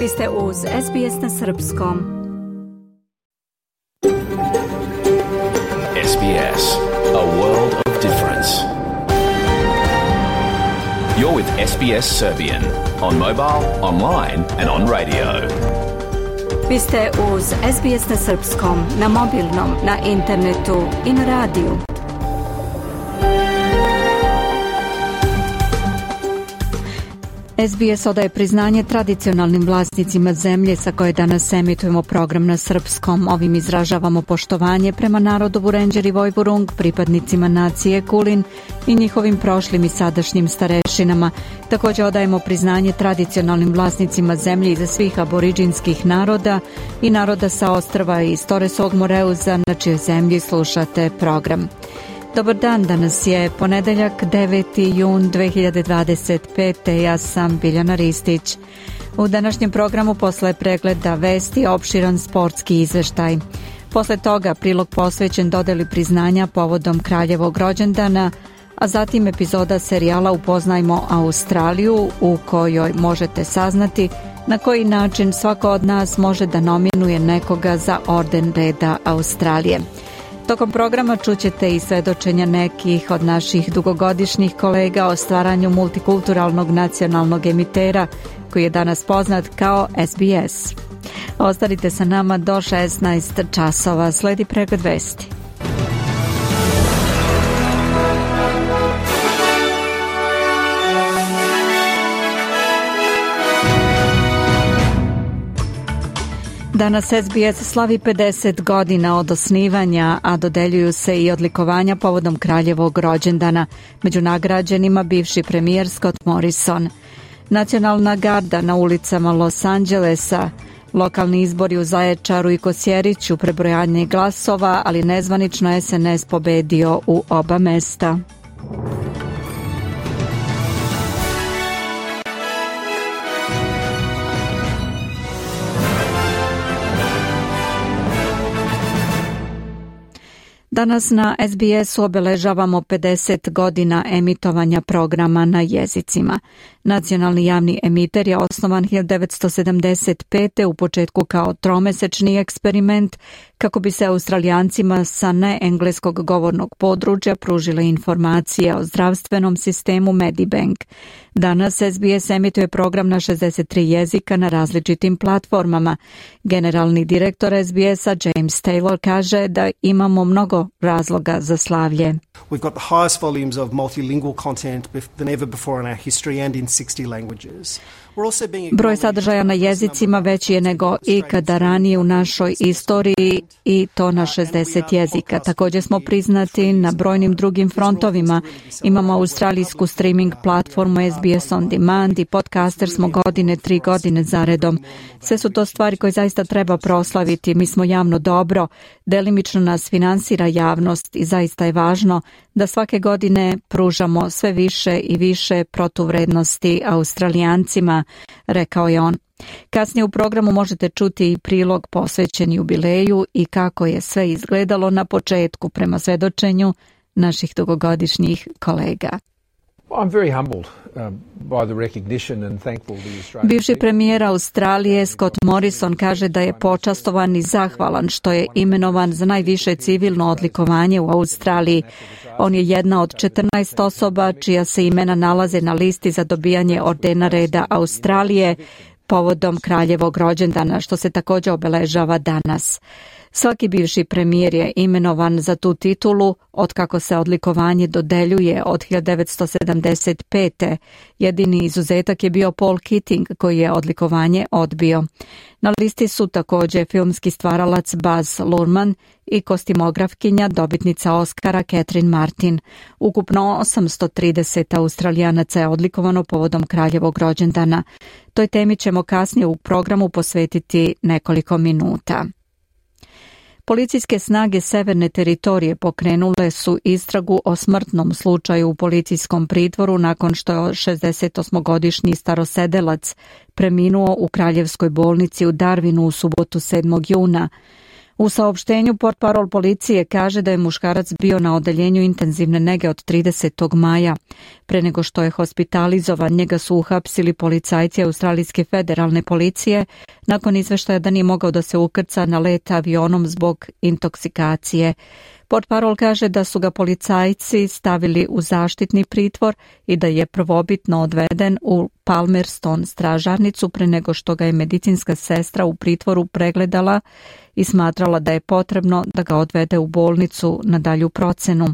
Vi ste uz SBS na srpskom. SBS, a world of difference. You're with SBS Serbian on mobile, online and on radio. Vi ste uz SBS na srpskom, na mobilnom, na internetu i na radiju. SBS odaje priznanje tradicionalnim vlasnicima zemlje sa koje danas emitujemo program na srpskom. Ovim izražavamo poštovanje prema narodu Vurenđer i Vojvurung, pripadnicima nacije Kulin i njihovim prošlim i sadašnjim starešinama. Također odajemo priznanje tradicionalnim vlasnicima zemlje iza svih aboriđinskih naroda i naroda sa ostrva iz Toresovog Moreuza, na čijoj zemlji slušate program. Dobar dan, danas je ponedeljak 9. jun 2025. Ja sam Biljana Ristić. U današnjem programu posle pregleda vesti opširan sportski izveštaj. Posle toga prilog posvećen dodeli priznanja povodom kraljevog rođendana, a zatim epizoda serijala Upoznajmo Australiju, u kojoj možete saznati na koji način svako od nas može da nominuje nekoga za orden reda Australije. Tokom programa čućete i svedočenja nekih od naših dugogodišnjih kolega o stvaranju multikulturalnog nacionalnog emitera koji je danas poznat kao SBS. Ostanite sa nama do 16 časova. Sledi pregled vesti. Danas SBS slavi 50 godina od osnivanja, a dodeljuju se i odlikovanja povodom kraljevog rođendana. Među nagrađenima bivši premijer Scott Morrison. Nacionalna garda na ulicama Los Angelesa, lokalni izbori u Zaječaru i Kosjeriću, prebrojanje glasova, ali nezvanično SNS pobedio u oba mesta. Danas na SBS-u obeležavamo 50 godina emitovanja programa na jezicima. Nacionalni javni emiter je osnovan 1975. u početku kao tromesečni eksperiment kako bi se Australijancima sa neengleskog govornog područja pružile informacije o zdravstvenom sistemu Medibank. Danas SBS emituje program na 63 jezika na različitim platformama. Generalni direktor SBS-a James Taylor kaže da imamo mnogo razloga za slavlje. We've got the highest volumes of multilingual content than ever before in our history and in 60 languages. Broj sadržaja na jezicima veći je nego ikada ranije u našoj istoriji i to na 60 jezika. Također smo priznati na brojnim drugim frontovima. Imamo australijsku streaming platformu SBS On Demand i podcaster smo 3 godine zaredom. Sve su to stvari koje zaista treba proslaviti. Mi smo javno dobro, delimično nas finansira javnost i zaista je važno da svake godine pružamo sve više i više protuvrednosti Australijancima, rekao je on. Kasnije u programu možete čuti i prilog posvećen jubileju i kako je sve izgledalo na početku prema svedočenju naših dugogodišnjih kolega. Bivši premijer Australije Scott Morrison kaže da je počastovan i zahvalan što je imenovan za najviše civilno odlikovanje u Australiji. On je jedna od 14 osoba čija se imena nalaze na listi za dobijanje ordena reda Australije povodom kraljevog rođendana, što se također obeležava danas. Svaki bivši premijer je imenovan za tu titulu otkako se odlikovanje dodeljuje od 1975. Jedini izuzetak je bio Paul Keating koji je odlikovanje odbio. Na listi su također filmski stvaralac Baz Luhrmann i kostimografkinja dobitnica Oscara Catherine Martin. Ukupno 830 Australijanaca je odlikovano povodom kraljevog rođendana. Toj temi ćemo kasnije u programu posvetiti nekoliko minuta. Policijske snage Severne teritorije pokrenule su istragu o smrtnom slučaju u policijskom pritvoru nakon što je 68-godišnji starosedelac preminuo u kraljevskoj bolnici u Darwinu u subotu 7. juna. U saopštenju portparol policije kaže da je muškarac bio na odeljenju intenzivne nege od 30. maja. Pre nego što je hospitalizovan, njega su uhapsili policajci Australijske federalne policije nakon izveštaja da nije mogao da se ukrca na let avionom zbog intoksikacije. Portparol kaže da su ga policajci stavili u zaštitni pritvor i da je prvobitno odveden u Palmerston stražarnicu pre nego što ga je medicinska sestra u pritvoru pregledala i smatrala da je potrebno da ga odvede u bolnicu na dalju procenu.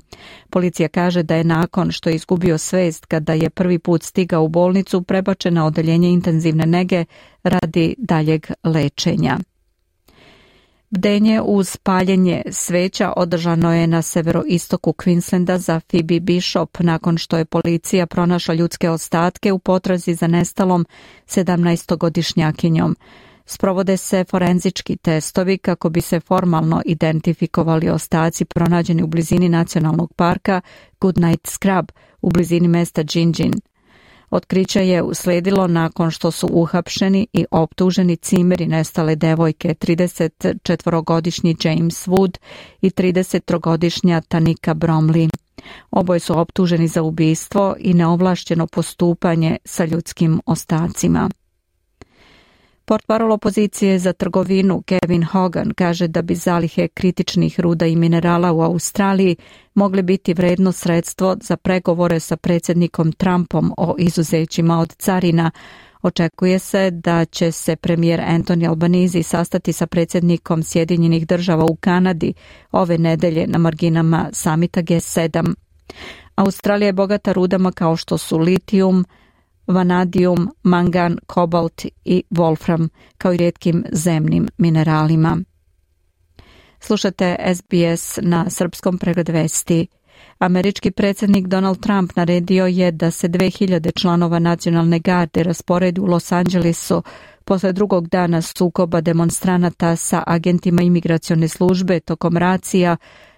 Policija kaže da je nakon što je izgubio svest kada je prvi put stigao u bolnicu prebačen na odeljenje intenzivne nege radi daljeg lečenja. Bdenje uz paljenje sveća održano je na severoistoku Queenslanda za Phoebe Bishop nakon što je policija pronašla ljudske ostatke u potrazi za nestalom 17-godišnjakinjom. Sprovode se forenzički testovi kako bi se formalno identifikovali ostaci pronađeni u blizini nacionalnog parka Goodnight Scrub u blizini mesta Gingin. Otkriće je usledilo nakon što su uhapšeni i optuženi cimeri nestale devojke 34-godišnji James Wood i 33-godišnja Tanika Bromley. Oboje su optuženi za ubistvo i neovlašćeno postupanje sa ljudskim ostacima. Portparol opozicije za trgovinu Kevin Hogan kaže da bi zalihe kritičnih ruda i minerala u Australiji mogle biti vredno sredstvo za pregovore sa predsjednikom Trumpom o izuzećima od carina. Očekuje se da će se premijer Anthony Albanese sastati sa predsjednikom Sjedinjenih država u Kanadi ove nedelje na marginama samita G7. Australija je bogata rudama kao što su litijum, vanadijum, mangan, kobalt i wolfram, kao i rijetkim zemnim mineralima. Slušate SBS na srpskom pregled vesti. Američki predsjednik Donald Trump naredio je da se 2000 članova nacionalne garde rasporedi u Los Angelesu posle drugog dana sukoba demonstranata sa agentima imigracione službe tokom racija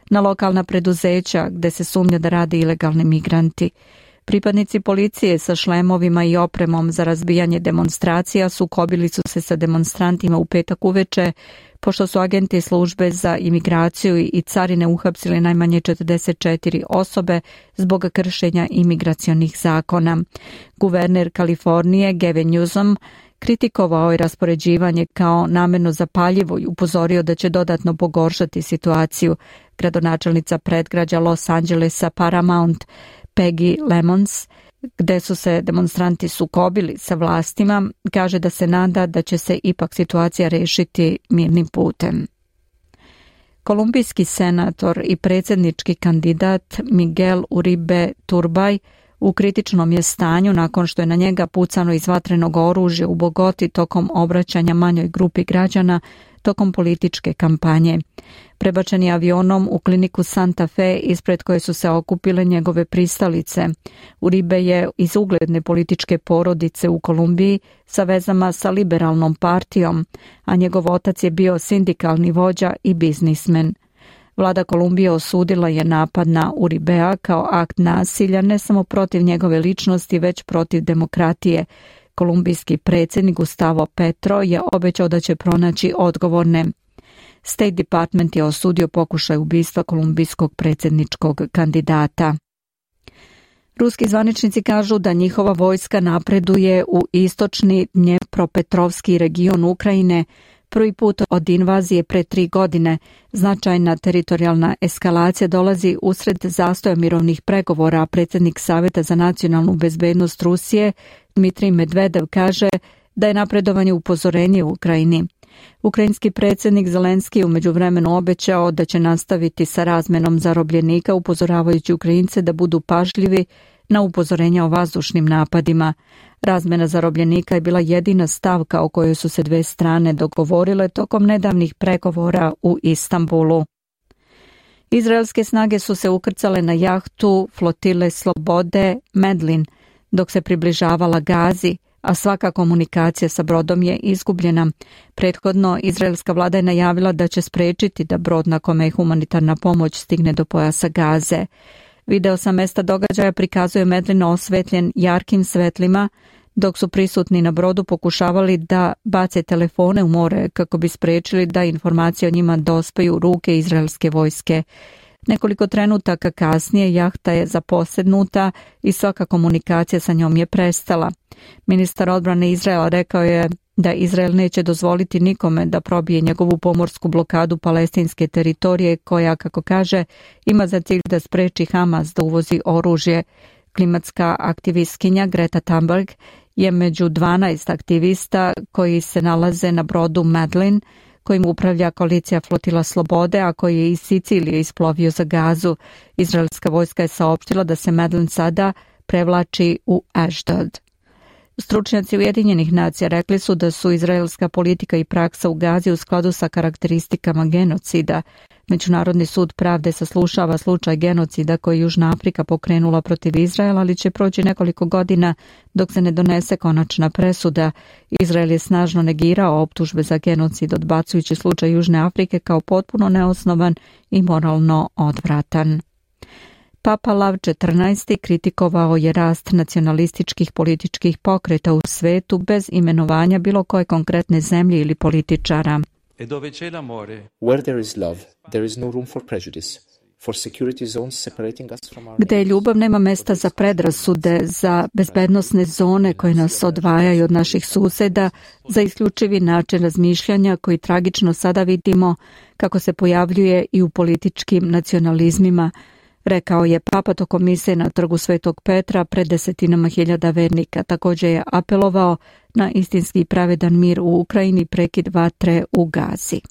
na lokalna preduzeća gde se sumnja da rade ilegalni migranti. Pripadnici policije sa šlemovima i opremom za razbijanje demonstracija sukobili su se sa demonstrantima u petak uveče, pošto su agenti službe za imigraciju i carine uhapsili najmanje 44 osobe zbog kršenja imigracionih zakona. Guverner Kalifornije Gavin Newsom kritikovao je raspoređivanje kao namerno zapaljivo i upozorio da će dodatno pogoršati situaciju. Gradonačelnica predgrađa Los Angelesa Paramount Peggy Lemons, gde su se demonstranti sukobili sa vlastima, kaže da se nada da će se ipak situacija rešiti mirnim putem. Kolumbijski senator i predsjednički kandidat Miguel Uribe Turbay u kritičnom je stanju nakon što je na njega pucano iz vatrenog oružja u Bogoti tokom obraćanja manjoj grupi građana tokom političke kampanje. Prebačen je avionom u kliniku Santa Fe ispred koje su se okupile njegove pristalice. Uribe je iz ugledne političke porodice u Kolumbiji sa vezama sa liberalnom partijom, a njegov otac je bio sindikalni vođa i biznismen. Vlada Kolumbije osudila je napad na Uribea kao akt nasilja ne samo protiv njegove ličnosti, već protiv demokratije. Kolumbijski predsjednik Gustavo Petro je obećao da će pronaći odgovorne. State Department je osudio pokušaj ubistva kolumbijskog predsjedničkog kandidata. Ruski zvaničnici kažu da njihova vojska napreduje u istočni Dnjepropetrovski region Ukrajine prvi put od invazije pre 3 godine. Značajna teritorijalna eskalacija dolazi usred zastoja mirovnih pregovora, a predsjednik Saveta za nacionalnu bezbednost Rusije Dmitrij Medvedev kaže da je napredovanje upozorenje u Ukrajini. Ukrajinski predsjednik Zelenski u međuvremenu obećao da će nastaviti sa razmenom zarobljenika, upozoravajući Ukrajince da budu pažljivi na upozorenja o vazdušnim napadima. Razmena zarobljenika je bila jedina stavka o kojoj su se dve strane dogovorile tokom nedavnih pregovora u Istanbulu. Izraelske snage su se ukrcale na jahtu flotile Slobode Medlin dok se približavala Gazi, a svaka komunikacija sa brodom je izgubljena. Prethodno, izraelska vlada je najavila da će sprečiti da brod na kome je humanitarna pomoć stigne do pojasa Gaze. Video sa mesta događaja prikazuje Medlin osvetljen jarkim svetlima dok su prisutni na brodu pokušavali da bace telefone u more kako bi spriječili da informacije o njima dospeju u ruke izraelske vojske. Nekoliko trenutaka kasnije jahta je zaposednuta i svaka komunikacija sa njom je prestala. Ministar odbrane Izraela rekao je da Izrael neće dozvoliti nikome da probije njegovu pomorsku blokadu palestinske teritorije koja, kako kaže, ima za cilj da spreči Hamas da uvozi oružje. Klimatska aktivistkinja Greta Thunberg je među 12 aktivista koji se nalaze na brodu Medlin, kojim upravlja koalicija Flotila Slobode, a koji je iz Sicilije isplovio za Gazu. Izraelska vojska je saopštila da se Medlin sada prevlači u Ashdod. Stručnjaci Ujedinjenih nacija rekli su da su izraelska politika i praksa u Gazi u skladu sa karakteristikama genocida. Međunarodni sud pravde saslušava slučaj genocida koji je Južna Afrika pokrenula protiv Izraela, ali će proći nekoliko godina dok se ne donese konačna presuda. Izrael je snažno negirao optužbe za genocid, odbacujući slučaj Južne Afrike kao potpuno neosnovan i moralno odvratan. Papa Lav XIV kritikovao je rast nacionalističkih političkih pokreta u svetu bez imenovanja bilo koje konkretne zemlje ili političara. Where there is love, there is no room for prejudice. For security zones separating us from our Gde je ljubav, nema mesta za predrasude, za bezbednosne zone koje nas odvajaju od naših suseda, za isključivi način razmišljanja koji tragično sada vidimo kako se pojavljuje i u političkim nacionalizmima, rekao je Papa tokom mise na trgu Svetog Petra pred desetinama hiljada vernika. Također je apelovao na istinski i pravedan mir u Ukrajini, prekid vatre u Gazi.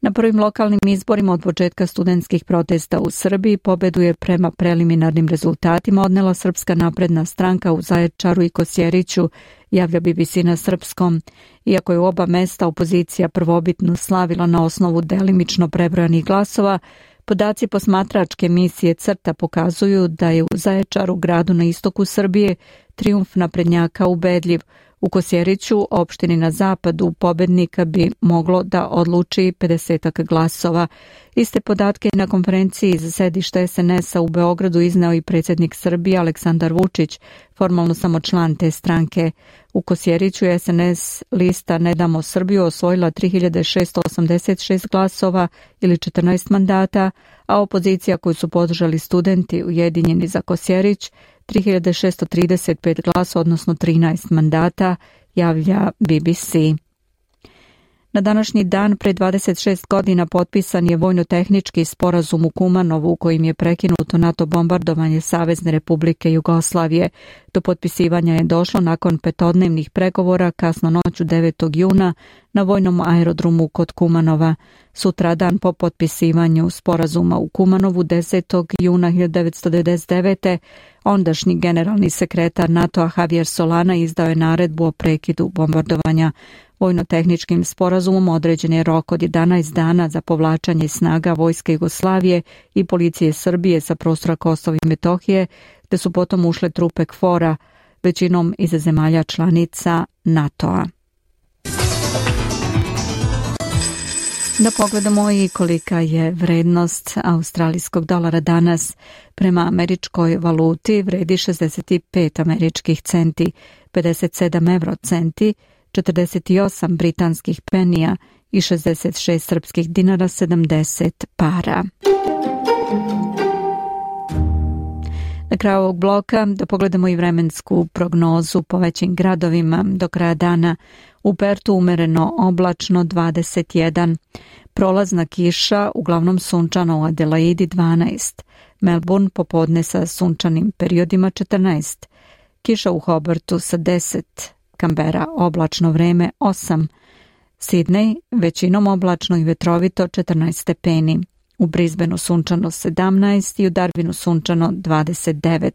Na prvim lokalnim izborima od početka studentskih protesta u Srbiji pobedu je prema preliminarnim rezultatima odnela Srpska napredna stranka u Zaječaru i Kosjeriću, javlja BBC na srpskom. Iako je u oba mesta opozicija prvobitno slavila na osnovu delimično prebrojanih glasova, podaci posmatračke misije CRTA pokazuju da je u Zaječaru, gradu na istoku Srbije, trijumf naprednjaka ubedljiv. U Kosjeriću, opštini na zapadu, pobednika bi moglo da odluči 50 glasova. Iste podatke na konferenciji za sedište SNS-a u Beogradu izneo i predsjednik Srbije Aleksandar Vučić, formalno samo član te stranke. U Kosjeriću je SNS lista Ne damo Srbiju osvojila 3686 glasova ili 14 mandata, a opozicija koju su podržali studenti Ujedinjeni za Kosjerić 3635 glasa, odnosno 13 mandata, javlja BBC. Na današnji dan pre 26 godina potpisan je vojno-tehnički sporazum u Kumanovu u kojim je prekinuto NATO bombardovanje Savezne Republike Jugoslavije. Do potpisivanja je došlo nakon petodnevnih pregovora kasno noću 9. juna na vojnom aerodromu kod Kumanova. Sutradan po potpisivanju sporazuma u Kumanovu 10. juna 1999. ondašnji generalni sekretar NATO-a Javier Solana izdao je naredbu o prekidu bombardovanja. Vojno-tehničkim sporazumom određen je rok od 11 dana za povlačanje snaga Vojske Jugoslavije i policije Srbije sa prostora Kosova i Metohije, te su potom ušle trupe KFOR-a, većinom iz zemalja članica NATO-a. Da pogledamo i kolika je vrednost australijskog dolara danas. Prema američkoj valuti vredi 65 američkih centi, 57 eurocenti, 48 britanskih penija i 66 srpskih dinara, 70 para. Na kraju ovog bloka da pogledamo i vremensku prognozu po većim gradovima. Do kraja dana u Pertu umereno oblačno 21, prolazna kiša, uglavnom sunčano u Adelaidi 12, Melbourne popodne sa sunčanim periodima 14, kiša u Hobartu sa 10, Canberra oblačno vreme 8, Sydney većinom oblačno i vetrovito 14 stepeni, u Brisbaneu sunčano 17 i u Darwinu sunčano 29,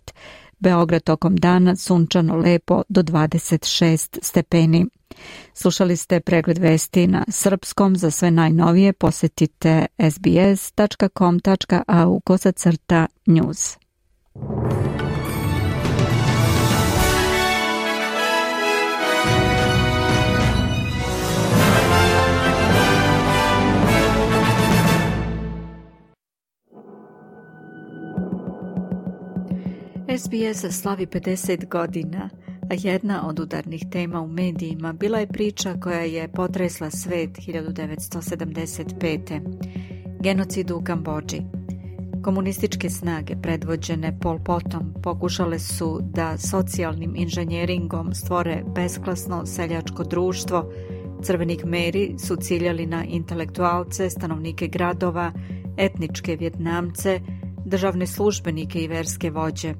Beograd tokom dana sunčano lepo do 26 stepeni. Slušali ste pregled vesti na srpskom. Za sve najnovije posjetite sbs.com.au/news. SBS slavi 50 godina. A jedna od udarnih tema u medijima bila je priča koja je potresla svet 1975. Genocid u Kambodži. Komunističke snage predvođene Pol Potom pokušale su da socijalnim inženjeringom stvore besklasno seljačko društvo. Crveni Khmeri su ciljali na intelektualce, stanovnike gradova, etničke Vjetnamce, državne službenike i verske vođe.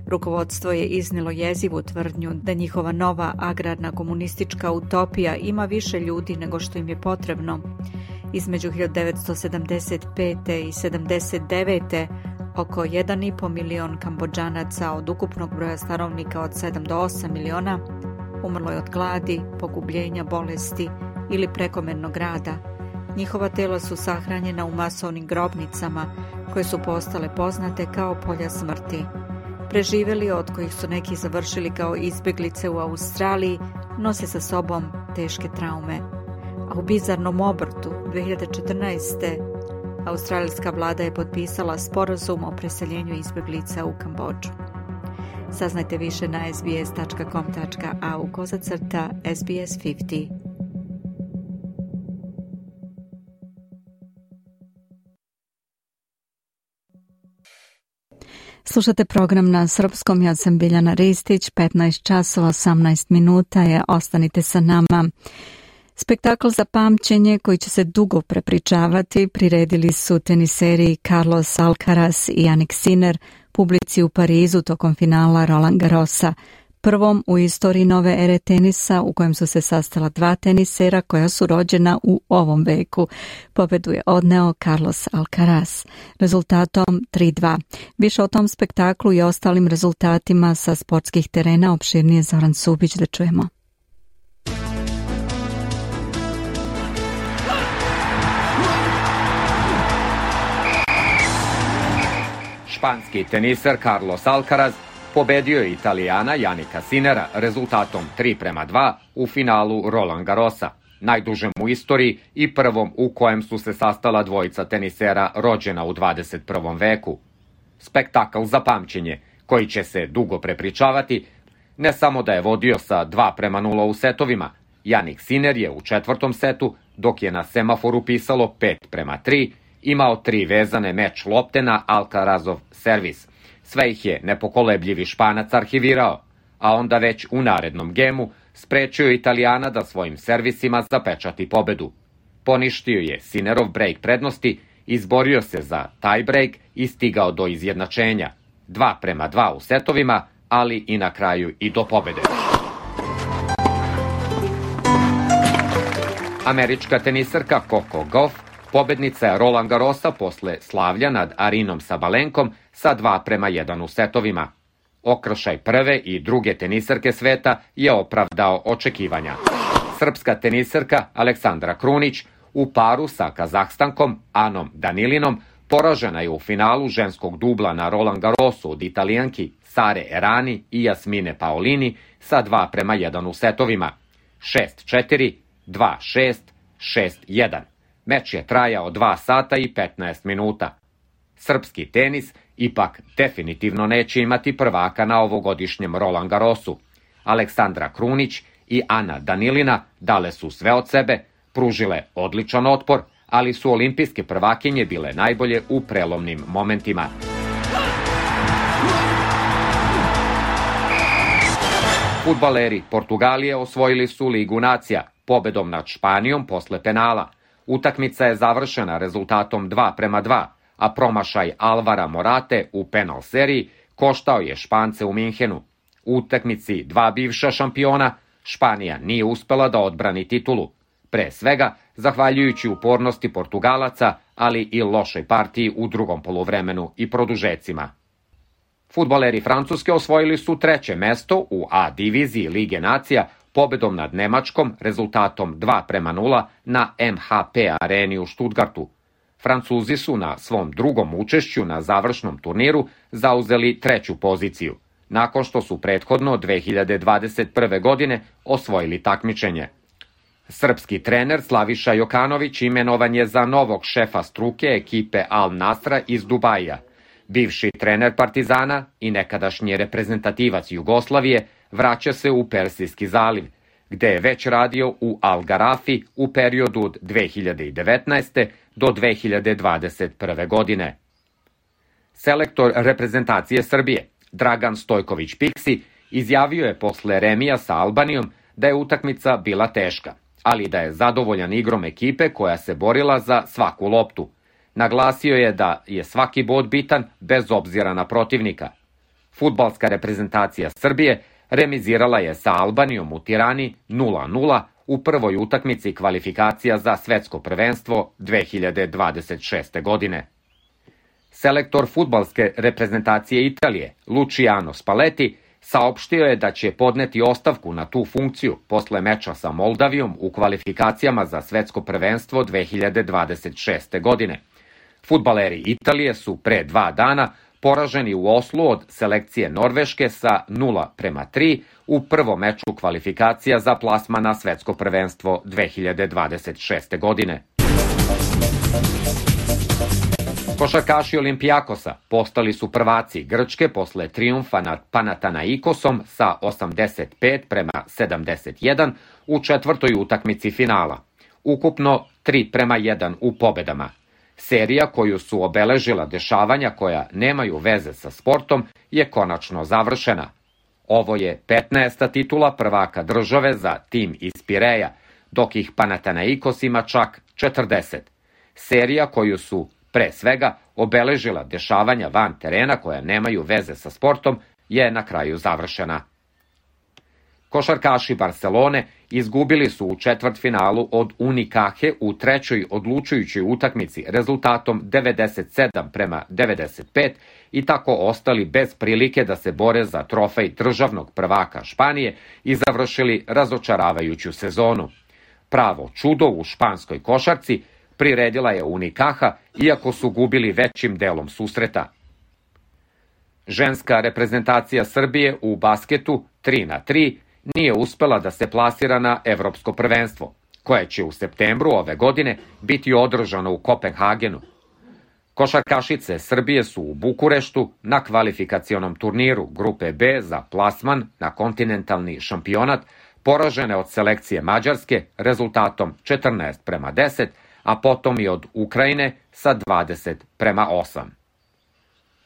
Rukovodstvo je iznilo jezivu tvrdnju da njihova nova agrarna komunistička utopija ima više ljudi nego što im je potrebno. Između 1975. i 79. oko 1,5 milion Kambodžanaca od ukupnog broja stanovnika od 7 do 8 miliona umrlo je od gladi, pogubljenja, bolesti ili prekomernog rada. Njihova tela su sahranjena u masovnim grobnicama koje su postale poznate kao polja smrti. Preživeli, od kojih su neki završili kao izbjeglice u Australiji, nose sa sobom teške traume. A u bizarnom obrtu 2014. australijska vlada je potpisala sporazum o preseljenju izbjeglica u Kambodžu. Saznajte više na sbs.au/SBS50. Slušate program na srpskom, ja sam Biljana Ristić, 15 časova 18 minuta je, ostanite sa nama. Spektakl za pamćenje koji će se dugo prepričavati priredili su teniseri Carlos Alcaraz i Jannik Sinner publici u Parizu tokom finala Roland Garrosa, prvom u istoriji nove ere tenisa u kojem su se sastala dva tenisera koja su rođena u ovom veku. Pobedu je odneo Carlos Alcaraz rezultatom 3:2. Više o tom spektaklu i ostalim rezultatima sa sportskih terena opširnije Zoran Subić, da čujemo. Španski teniser Carlos Alcaraz pobedio je Italijana Jannika Sinnera rezultatom 3:2 u finalu Roland Garrosa, najdužem u istoriji i prvom u kojem su se sastala dvojica tenisera rođena u 21. veku. Spektakl za pamćenje, koji će se dugo prepričavati, ne samo da je vodio sa 2:0 u setovima, Jannik Sinner je u četvrtom setu, dok je na semaforu pisalo 5:3, imao 3 vezane meč lopte na Alcarazov servis. Sve ih je nepokolebljivi Španac arhivirao, a onda već u narednom gemu sprečio Italijana da svojim servisima zapečati pobedu. Poništio je Sinnerov brejk prednosti, izborio se za taj brejk i stigao do izjednačenja. 2:2 u setovima, ali i na kraju i do pobede. Američka teniserka Coco Gauff pobednica je Roland Garrosa posle slavlja nad Arinom Sabalenkom sa 2:1 u setovima. Okršaj prve i druge teniserke sveta je opravdao očekivanja. Srpska teniserka Aleksandra Krunić u paru sa Kazahstankom Anom Danilinom poražena je u finalu ženskog dubla na Roland Garrosu od Italijanki Sare Errani i Jasmine Paolini sa 2:1 u setovima. 6:4, 2:6, 6:1. Meč je trajao 2 sata i 15 minuta. Srpski tenis ipak definitivno neće imati prvaka na ovogodišnjem Roland Garrosu. Aleksandra Krunić i Ana Danilina dale su sve od sebe, pružile odličan otpor, ali su olimpijske prvakinje bile najbolje u prelomnim momentima. Fudbaleri Portugalije osvojili su Ligu nacija pobedom nad Španijom posle penala. Utakmica je završena rezultatom 2:2, a promašaj Alvara Morate u penal seriji koštao je Špance u Minhenu. U utakmici dva bivša šampiona, Španija nije uspela da odbrani titulu. Pre svega, zahvaljujući upornosti Portugalaca, ali i lošoj partiji u drugom poluvremenu i produžecima. Fudbaleri Francuske osvojili su 3. mesto u A diviziji Lige nacija pobedom nad Nemačkom rezultatom 2:0 na MHP areni u Stuttgartu. Francuzi su na svom drugom učešću na završnom turniru zauzeli 3. poziciju, nakon što su prethodno 2021. godine osvojili takmičenje. Srpski trener Slaviša Jokanović imenovan je za novog šefa struke ekipe Al Nasra iz Dubaija. Bivši trener Partizana i nekadašnji reprezentativac Jugoslavije vraća se u Persijski zaliv, gde je već radio u Al Garafi u periodu od 2019. do 2021. godine. Selektor reprezentacije Srbije, Dragan Stojković-Piksi, izjavio je posle remija sa Albanijom da je utakmica bila teška, ali da je zadovoljan igrom ekipe koja se borila za svaku loptu. Naglasio je da je svaki bod bitan bez obzira na protivnika. Fudbalska reprezentacija Srbije remizirala je sa Albanijom u Tirani 0:0 u prvoj utakmici kvalifikacija za svetsko prvenstvo 2026. godine. Selektor fudbalske reprezentacije Italije, Luciano Spalletti, saopštio je da će podneti ostavku na tu funkciju posle meča sa Moldavijom u kvalifikacijama za svetsko prvenstvo 2026. godine. Fudbaleri Italije su pre 2 dana poraženi u Oslu od selekcije Norveške sa 0:3 u prvom meču kvalifikacija za plasman na svetsko prvenstvo 2026. godine. Košarkaši Olimpijakosa postali su prvaci Grčke posle trijumfa nad Panathinaikosom sa 85:71 u četvrtoj utakmici finala. Ukupno 3:1 u pobedama. Serija koju su obeležila dešavanja koja nemaju veze sa sportom je konačno završena. Ovo je 15. titula prvaka države za tim iz Pireja, dok ih Panathinaikos ima čak 40. Serija koju su pre svega obeležila dešavanja van terena koja nemaju veze sa sportom je na kraju završena. Košarkaši Barcelone izgubili su u četvrtfinalu od Unicaje u trećoj odlučujućoj utakmici rezultatom 97:95 i tako ostali bez prilike da se bore za trofej državnog prvaka Španije i završili razočaravajuću sezonu. Pravo čudo u španskoj košarci priredila je Unicaja, iako su gubili većim delom susreta. Ženska reprezentacija Srbije u basketu 3:3 nije uspela da se plasira na evropsko prvenstvo, koje će u septembru ove godine biti održano u Kopenhagenu. Košarkašice Srbije su u Bukureštu na kvalifikacionom turniru Grupe B za plasman na kontinentalni šampionat poražene od selekcije Mađarske rezultatom 14:10, a potom i od Ukrajine sa 20:8.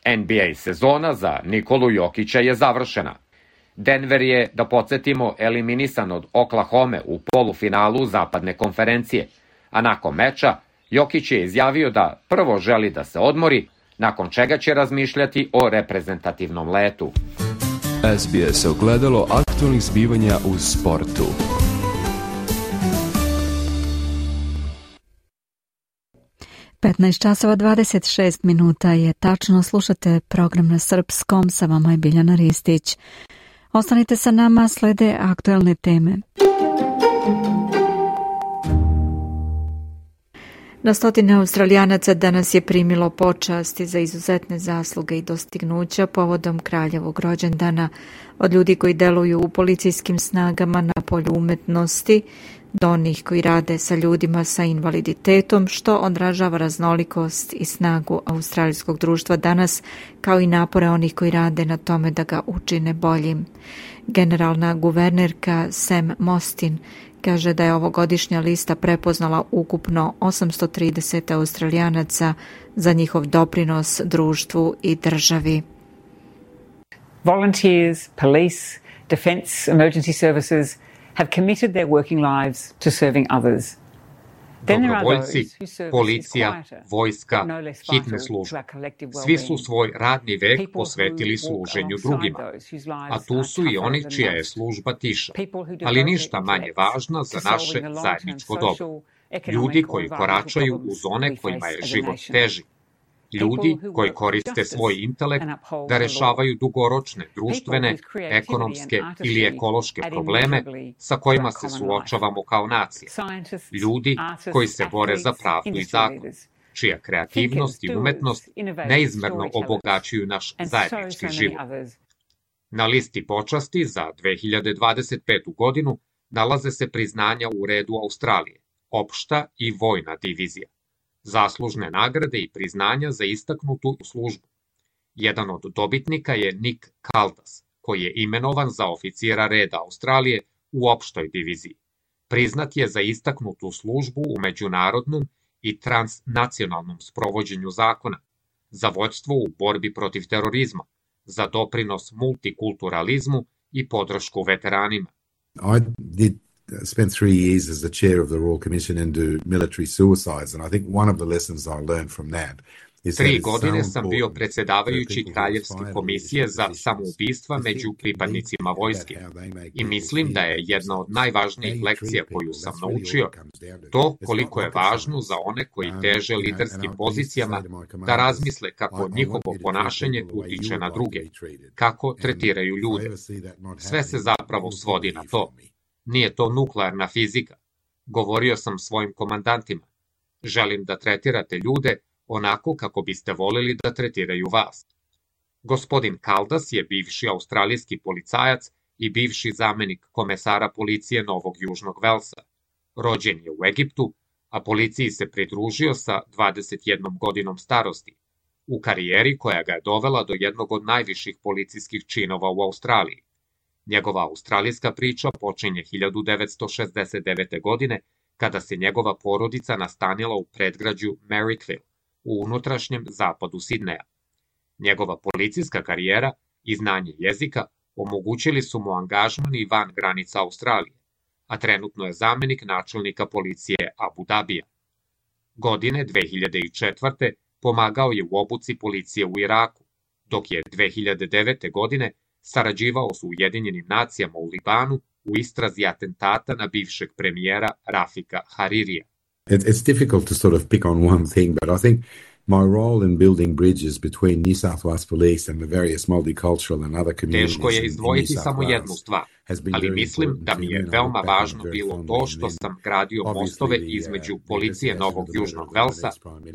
NBA sezona za Nikolu Jokića je završena. Denver je, da podsjetimo, eliminisan od Oklahome u polufinalu zapadne konferencije, a nakon meča Jokić je izjavio da prvo želi da se odmori, nakon čega će razmišljati o reprezentativnom letu. SBS ogledalo aktualnih zbivanja u sportu. časova 26 minuta je tačno, slušate program na srpskom, sa vama je Biljana Ristić. Ostanite sa nama, slede aktuelne teme. Na stotine Australijanaca danas je primilo počasti za izuzetne zasluge i dostignuća povodom kraljevog rođendana, od ljudi koji deluju u policijskim snagama na polju umetnosti do onih koji rade sa ljudima sa invaliditetom, što odražava raznolikost i snagu australijskog društva danas, kao i napore onih koji rade na tome da ga učine boljim. Generalna guvernerka Sam Mostyn kaže da je ovogodišnja lista prepoznala ukupno 830 Australijanaca za njihov doprinos društvu i državi. Volunteers, police, defence, emergency services have committed their working lives to serving others. Dobrovoljci, policija, vojska, hitne službe. Svi su svoj radni vek posvetili služenju drugima, a tu su i oni čija je služba tiša, ali ništa manje važna za naše zajedničko dobro. Ljudi koji koračaju u zone kojima je život teži. Ljudi koji koriste svoj intelekt da rešavaju dugoročne, društvene, ekonomske ili ekološke probleme sa kojima se suočavamo kao nacija. Ljudi koji se bore za pravdu i zakon, čija kreativnost i umetnost neizmerno obogaćuju naš zajednički život. Na listi počasti za 2025. godinu nalaze se priznanja u redu Australije, opšta i vojna divizija, zaslužne nagrade i priznanja za istaknutu službu. Jedan od dobitnika je Nick Kaldas, koji je imenovan za oficira reda Australije u opštoj diviziji. Priznat je za istaknutu službu u međunarodnom i transnacionalnom sprovođenju zakona, za vođstvo u borbi protiv terorizma, za doprinos multikulturalizmu i podršku veteranima. I did spend 3 years as the chair of the Royal Commission into military suicides, and I think one of the lessons I learned from that is 3 godine sam bio predsjedavajući Kraljevske komisije za samoubistva među pripadnicima vojske i mislim da je jedna od najvažnijih lekcija koju sam naučio to koliko je važno za one koji teže liderskim pozicijama da razmisle kako njihovo ponašanje utiče na druge, kako tretiraju ljude. Sve se zapravo svodi na to. Nije to nuklearna fizika. Govorio sam svojim komandantima. Želim da tretirate ljude onako kako biste voleli da tretiraju vas. Gospodin Caldas je bivši australijski policajac i bivši zamenik komesara policije Novog Južnog Velsa. Rođen je u Egiptu, a policiji se pridružio sa 21 godinom starosti, u karijeri koja ga je dovela do jednog od najviših policijskih činova u Australiji. Njegova australijska priča počinje 1969. godine, kada se njegova porodica nastanila u predgrađu Marrickville, u unutrašnjem zapadu Sidneja. Njegova policijska karijera i znanje jezika omogućili su mu angažman i van granica Australije, a trenutno je zamenik načelnika policije Abu Dabija. Godine 2004. pomagao je u obuci policije u Iraku, dok je 2009. godine sarađivao s Ujedinjenim nacijama u Libanu u istrazi atentata na bivšeg premijera Rafika Haririja. It's difficult to sort of pick on one thing, but I think my role in building bridges between New South Wales Police and the various multicultural and other communities. Teško je izdvojiti samo jednu stvar, ali mislim da mi je veoma važno bilo to što sam gradio mostove između policije Novog Južnog Velsa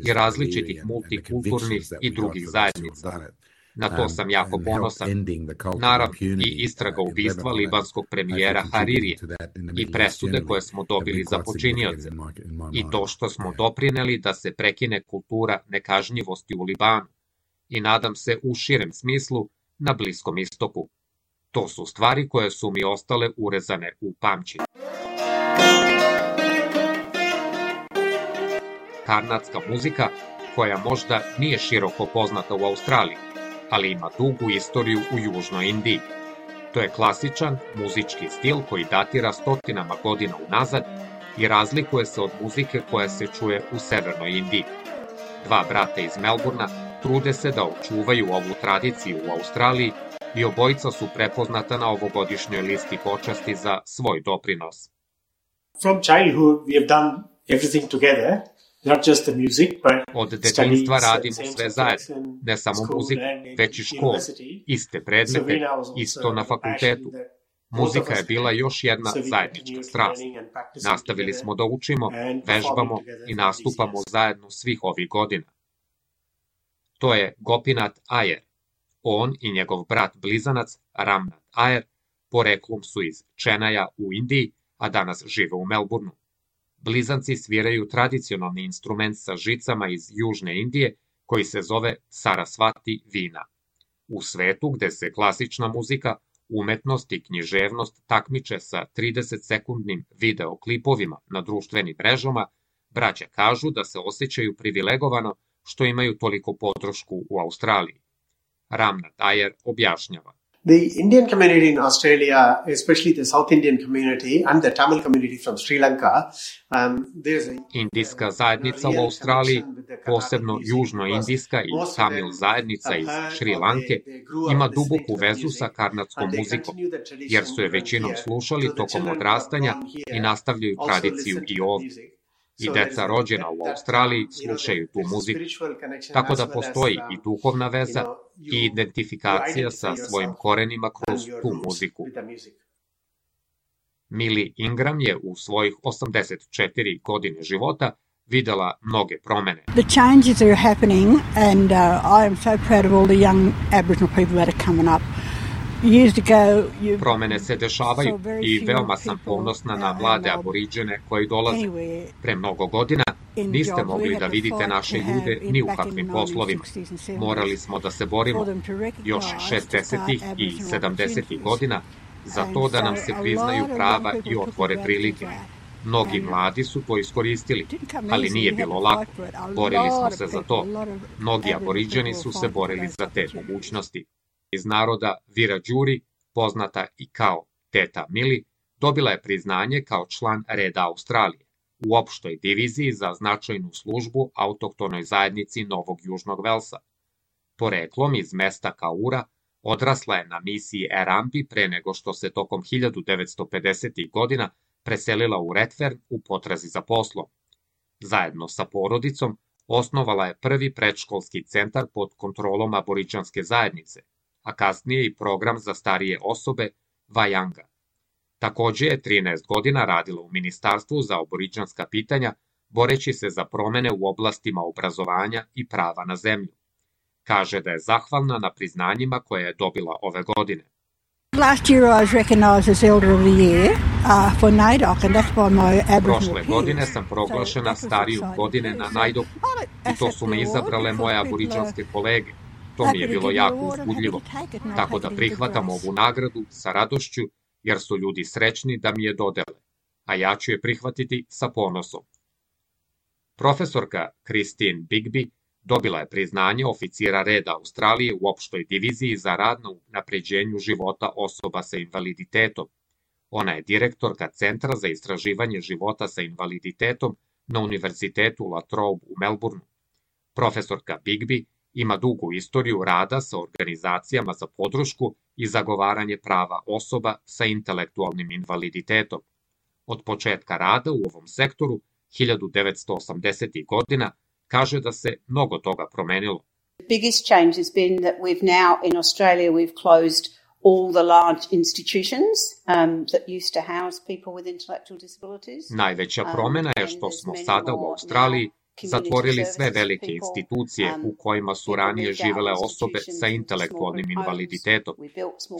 i različitih multikulturnih i drugih zajednica. Na to sam jako ponosan. Naravno, i istraga ubistva libanskog premijera Haririje i presude koje smo dobili za počinioce i to što smo doprineli da se prekine kultura nekažnjivosti u Libanu i nadam se u širem smislu na Bliskom istoku. To su stvari koje su mi ostale urezane u pamćenju. Karnatska muzika, koja možda nije široko poznata u Australiji, ali ima dugu istoriju u Južnoj Indiji. To je klasičan muzički stil koji datira stotinama godina unazad i razlikuje se od muzike koja se čuje u Severnoj Indiji. 2 brata iz Melburna trude se da očuvaju ovu tradiciju u Australiji i obojica su prepoznata na ovogodišnjoj listi počasti za svoj doprinos. From childhood we have done everything together. Od detinjstva radimo sve zajedno, ne samo muziku, već i školu, iste predmete, isto na fakultetu. Muzika je bila još jedna zajednička strast. Nastavili smo da učimo, vežbamo i nastupamo zajedno svih ovih godina. To je Gopinath Iyer. On i njegov brat blizanac Ramnath Iyer poreklom su iz Čenaja u Indiji, a danas žive u Melbourneu. Blizanci sviraju tradicionalni instrument sa žicama iz Južne Indije koji se zove Sarasvati Vina. U svetu gde se klasična muzika, umetnost i književnost takmiče sa 30-sekundnim videoklipovima na društvenim mrežama, braća kažu da se osjećaju privilegovano što imaju toliko podršku u Australiji. Ramnath Iyer objašnjava. The Indian community in Australia, especially the South Indian community and the Tamil community from Sri Lanka, Indijska zajednica u Australiji, posebno južnoindijska i Tamil zajednica iz Šri Lanke, ima duboku vezu sa karnatskom muzikom, jer su je većinom slušali tokom odrastanja i nastavljaju tradiciju i ovdje. I deca rođena u Australiji slušaju tu muziku. Tako da postoji i duhovna veza i identifikacija sa svojim korenima kroz tu muziku. Millie Ingram je u svojih 84 godine života videla mnoge promene. The changes are happening and I am so proud of all the young Aboriginal people that are coming up. Promene se dešavaju i veoma sam ponosna na mlade aboriđene koji dolaze. Pre mnogo godina Niste mogli da vidite naše ljude ni u kakvim poslovima. Morali smo da se borimo još 60. i 70. godina za to da nam se priznaju prava i otvore prilike. Mnogi mladi su to iskoristili, ali nije bilo lako. Borili smo se za to. Mnogi aboriđani su se borili za te mogućnosti. Iz naroda Wiradjuri, poznata i kao Teta Mili, dobila je priznanje kao član reda Australije u opštoj diviziji za značajnu službu autohtonoj zajednici Novog Južnog Velsa. Poreklom iz mesta Kaura, odrasla je na misiji Erambi pre nego što se tokom 1950. godina preselila u Redfern u potrazi za poslom. Zajedno sa porodicom osnovala je prvi predškolski centar pod kontrolom aboriđanske zajednice, a kasnije i program za starije osobe Vajanga. Takođe je 13 godina radila u Ministarstvu za aboriđanska pitanja, boreći se za promene u oblastima obrazovanja i prava na zemlju. Kaže da je zahvalna na priznanjima koje je dobila ove godine. Last year I was recognized as Elder of the Year for NAIDOC, and that's by my Aboriginal Prošle godine sam proglašena stariju godine na NAIDOC i to su me izabrale moje aboriđanske kolege. To mi je bilo jako uzbudljivo, tako da prihvatam ovu nagradu sa radošću jer su ljudi srećni da mi je dodele, a ja ću je prihvatiti sa ponosom. Profesorka Christine Bigby dobila je priznanje oficira reda Australije u opštoj diviziji za rad na unapređenju života osoba sa invaliditetom. Ona je direktorka Centra za istraživanje života sa invaliditetom na Univerzitetu La Trobe u Melbourneu. Profesorka Bigby ima dugu istoriju rada sa organizacijama za podršku i zagovaranje prava osoba sa intelektualnim invaliditetom. Od početka rada u ovom sektoru, 1980. godina, kaže da se mnogo toga promenilo. The biggest change has been that we've now in Australia closed all the large institutions that used to house people with intellectual disabilities. Najveća promena je što smo sada u Australiji zatvorili sve velike institucije u kojima su ranije živele osobe sa intelektualnim invaliditetom.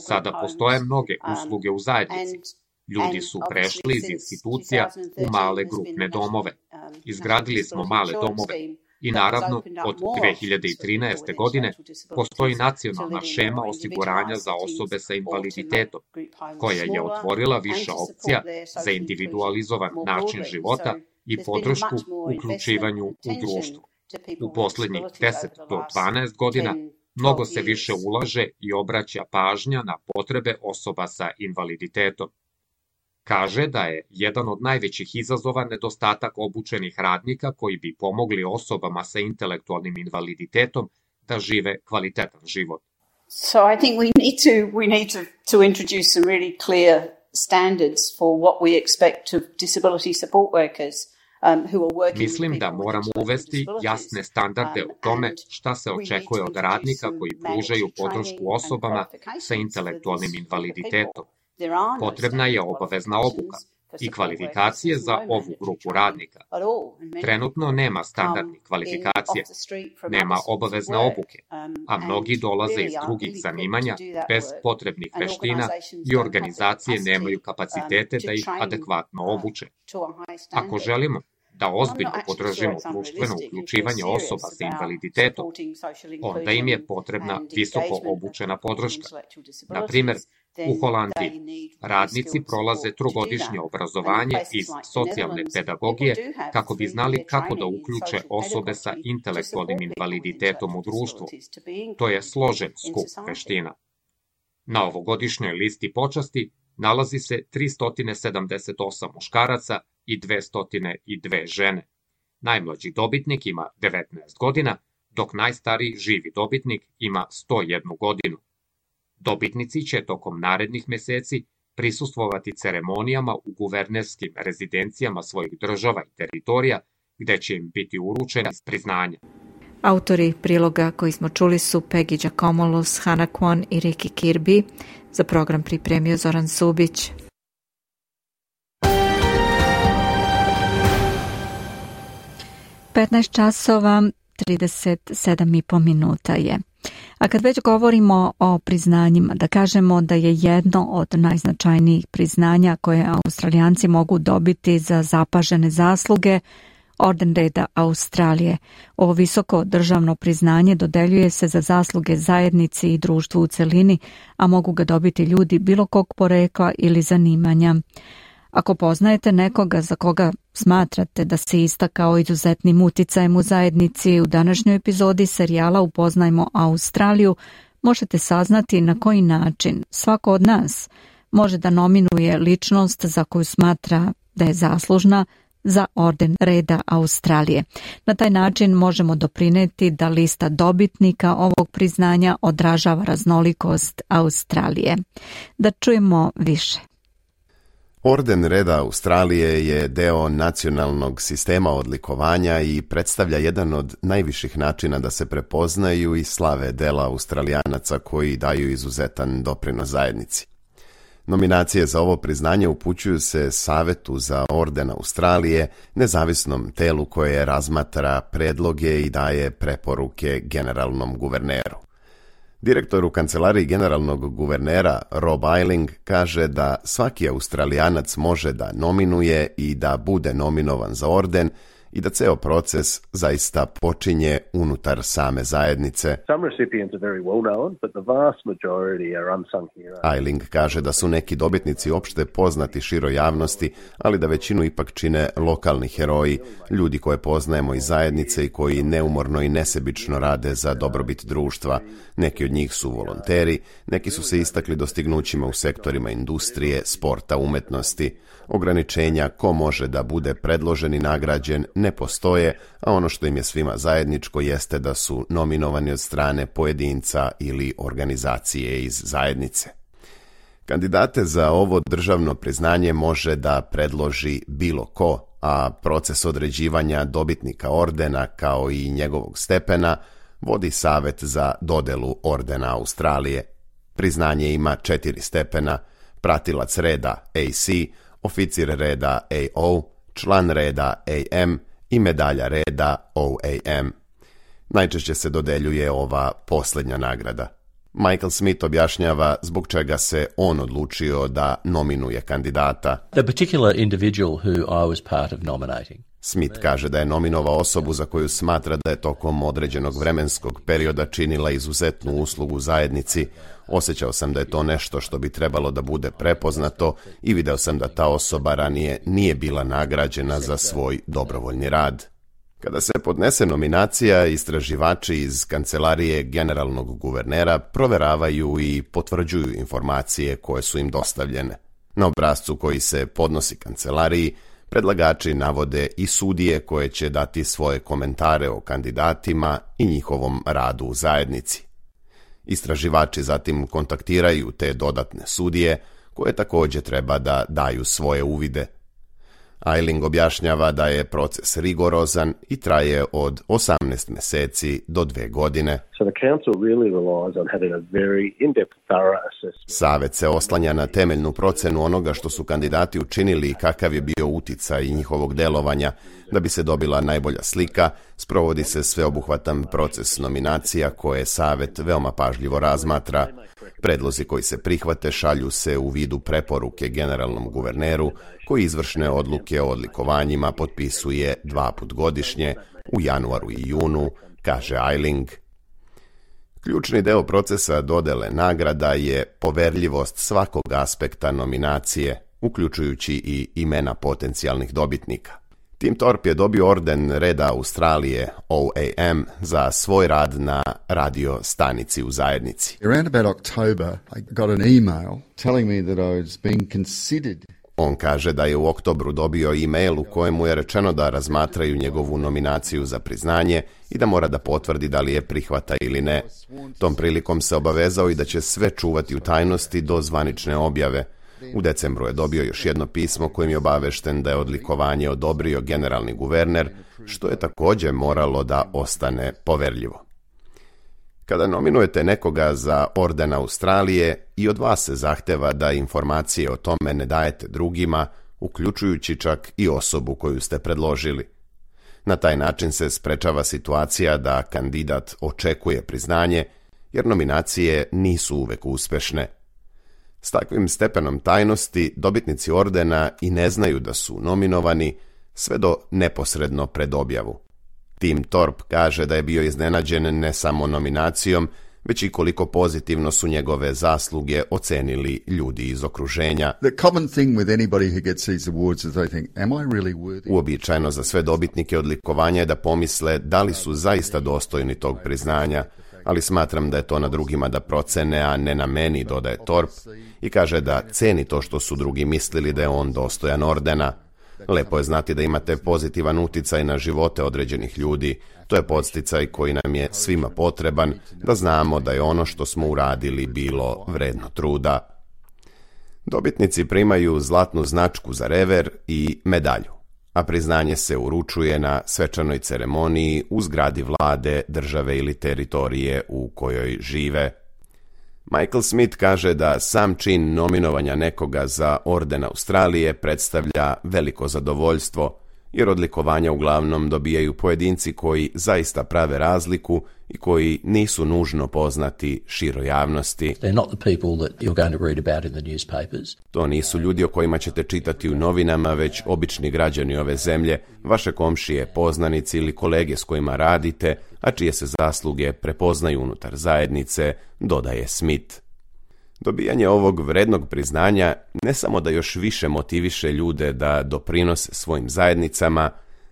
Sada postoje mnoge usluge u zajednici. Ljudi su prešli iz institucija u male grupne domove. Izgradili smo male domove i naravno od 2013. godine postoji nacionalna šema osiguranja za osobe sa invaliditetom, koja je otvorila više opcija za individualizovan način života i podršku uključivanju u društvu. U poslednjih 10 do 12 godina mnogo se više ulaže i obraća pažnja na potrebe osoba sa invaliditetom. Kaže da je jedan od najvećih izazova nedostatak obučenih radnika koji bi pomogli osobama sa intelektualnim invaliditetom da žive kvalitetan život. So I think we need to introduce some really clear standards for what we expect of disability support workers. Mislim da moramo uvesti jasne standarde o tome šta se očekuje od radnika koji pružaju podršku osobama sa intelektualnim invaliditetom. Potrebna je obavezna obuka i kvalifikacije za ovu grupu radnika. Trenutno nema standardnih kvalifikacija, nema obavezne obuke, a mnogi dolaze iz drugih zanimanja bez potrebnih veština i organizacije nemaju kapacitete da ih adekvatno obuče. Ako želimo da ozbiljno podržimo društveno uključivanje osoba sa invaliditetom, onda im je potrebna visoko obučena podrška. Na primer, u Holandiji radnici prolaze trogodišnje obrazovanje iz socijalne pedagogije kako bi znali kako da uključe osobe sa intelektualnim invaliditetom u društvu. To je složen skup veština. Na ovogodišnjoj listi počasti nalazi se 378 muškaraca i 202 žene. Najmlađi dobitnik ima 19 godina, dok najstariji živi dobitnik ima 101 godinu. Dobitnici će tokom narednih meseci prisustvovati ceremonijama u guvernerskim rezidencijama svojih država i teritorija, gde će im biti uručeni priznanja. Autori priloga koji smo čuli su Peggy Giacomolos, Hannah Kwon i Ricky Kirby. Za program pripremio Zoran Subić. časova 37,5 minuta je. A kad već govorimo o priznanjima, da kažemo da je jedno od najznačajnijih priznanja koje Australijanci mogu dobiti za zapažene zasluge Orden reda Australije. Ovo visoko državno priznanje dodeljuje se za zasluge zajednici i društvu u celini, a mogu ga dobiti ljudi bilo kog porekla ili zanimanja. Ako poznajete nekoga za koga smatrate da se istakao izuzetnim uticajem u zajednici, u današnjoj epizodi serijala Upoznajmo Australiju možete saznati na koji način svako od nas može da nominuje ličnost za koju smatra da je zaslužna za Orden reda Australije. Na taj način možemo doprineti da lista dobitnika ovog priznanja odražava raznolikost Australije. Da čujemo više. Orden reda Australije je deo nacionalnog sistema odlikovanja i predstavlja jedan od najviših načina da se prepoznaju i slave dela Australijanaca koji daju izuzetan doprinos zajednici. Nominacije za ovo priznanje upućuju se Savetu za Orden Australije, nezavisnom telu koje razmatra predloge i daje preporuke generalnom guverneru. Direktor u kancelariji generalnog guvernera Rob Ayling kaže da svaki Australijanac može da nominuje i da bude nominovan za orden i da ceo proces zaista počinje unutar same zajednice. Ayling kaže da su neki dobitnici opšte poznati široj javnosti, ali da većinu ipak čine lokalni heroji, ljudi koje poznajemo iz zajednice i koji neumorno i nesebično rade za dobrobit društva. Neki od njih su volonteri, neki su se istakli dostignućima u sektorima industrije, sporta, umetnosti. Ograničenja ko može da bude predložen i nagrađen ne postoje, a ono što im je svima zajedničko jeste da su nominovani od strane pojedinca ili organizacije iz zajednice. Kandidate za ovo državno priznanje može da predloži bilo ko, a proces određivanja dobitnika ordena kao i njegovog stepena vodi Savet za dodelu Ordena Australije. Priznanje ima 4 stepena: pratilac reda AC, oficir reda AO, član reda AM i medalja reda OAM. Najčešće se dodeljuje ova posljednja nagrada. Michael Smith objašnjava zbog čega se on odlučio da nominuje kandidata. The particular individual who I was part of nominating. Smith kaže da je nominovao osobu za koju smatra da je tokom određenog vremenskog perioda činila izuzetnu uslugu zajednici. Osjećao sam da je to nešto što bi trebalo da bude prepoznato i video sam da ta osoba ranije nije bila nagrađena za svoj dobrovoljni rad. Kada se podnese nominacija, istraživači iz kancelarije generalnog guvernera proveravaju i potvrđuju informacije koje su im dostavljene. Na obrascu koji se podnosi kancelariji, predlagači navode i sudije koje će dati svoje komentare o kandidatima i njihovom radu u zajednici. Istraživači zatim kontaktiraju te dodatne sudije koje također treba da daju svoje uvide. Ayling objašnjava da je proces rigorozan i traje od 18 meseci do 2 godine. Savet se oslanja na temeljnu procenu onoga što su kandidati učinili i kakav je bio uticaj njihovog delovanja. Da bi se dobila najbolja slika, sprovodi se sveobuhvatan proces nominacija koje Savet veoma pažljivo razmatra. Predlozi koji se prihvate šalju se u vidu preporuke generalnom guverneru, koji izvršne odluke o odlikovanjima potpisuje 2 puta godišnje, u januaru i junu, kaže Ayling. Ključni deo procesa dodele nagrada je poverljivost svakog aspekta nominacije, uključujući i imena potencijalnih dobitnika. Tim Thorpe je dobio Orden reda Australije, OAM, za svoj rad na radio stanici u zajednici. Around about October, I got an email telling me that I was being considered. On kaže da je u oktobru dobio e-mail u kojemu je rečeno da razmatraju njegovu nominaciju za priznanje i da mora da potvrdi da li je prihvata ili ne. Tom prilikom se obavezao i da će sve čuvati u tajnosti do zvanične objave. U decembru je dobio još jedno pismo kojim je obavešten da je odlikovanje odobrio generalni guverner, što je također moralo da ostane poverljivo. Kada nominujete nekoga za Orden Australije, i od vas se zahteva da informacije o tome ne dajete drugima, uključujući čak i osobu koju ste predložili. Na taj način se sprečava situacija da kandidat očekuje priznanje, jer nominacije nisu uvek uspešne. S takvim stepenom tajnosti dobitnici ordena i ne znaju da su nominovani, sve do neposredno pred objavu. Tim Thorpe kaže da je bio iznenađen ne samo nominacijom, već i koliko pozitivno su njegove zasluge ocenili ljudi iz okruženja. Uobičajeno za sve dobitnike odlikovanja je da pomisle da li su zaista dostojni tog priznanja, ali smatram da je to na drugima da procene, a ne na meni, dodaje Thorpe, i kaže da ceni to što su drugi mislili da je on dostojan ordena. Lepo je znati da imate pozitivan uticaj na živote određenih ljudi. To je podsticaj koji nam je svima potreban, da znamo da je ono što smo uradili bilo vredno truda. Dobitnici primaju zlatnu značku za rever i medalju, a priznanje se uručuje na svečanoj ceremoniji u zgradi vlade, države ili teritorije u kojoj žive. Michael Smith kaže da sam čin nominovanja nekoga za orden Australije predstavlja veliko zadovoljstvo, jer odlikovanja uglavnom dobijaju pojedinci koji zaista prave razliku i koji nisu nužno poznati široj javnosti. To nisu ljudi o kojima ćete čitati u novinama, već obični građani ove zemlje, vaše komšije, poznanici ili kolege s kojima radite, a čije se zasluge prepoznaju unutar zajednice, dodaje Smith. Dobijanje ovog vrednog priznanja ne samo da još više motiviše ljude da doprinose svojim zajednicama,